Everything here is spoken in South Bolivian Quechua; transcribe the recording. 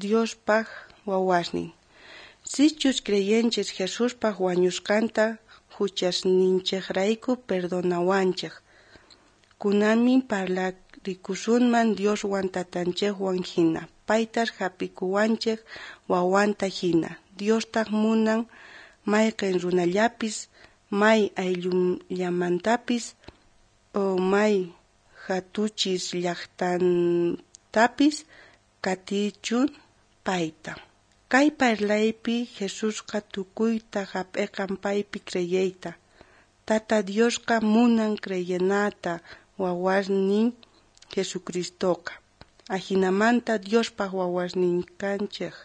Diospaj wawasnin. Sichus creyenchej Jesuspa wañusqanta juchasninchejrayku perdonawanchej. Kunanmin parlarikusunman Dioswan tatanchejwan jina. Paytaj jap'ikuwanchej wawanta jina. Diostaj munan mayqen runallapis, may ayllullamantapis, o may jatuchis llajtantapis katichun payta. Kay parlaypi Jesusqa tukuyta jap'eqan paypi creyeyta. Tata Diosqa munan creyenata wawasnin Jesucristoqa. Ajinamanta Diospaj wawasnin kanchej.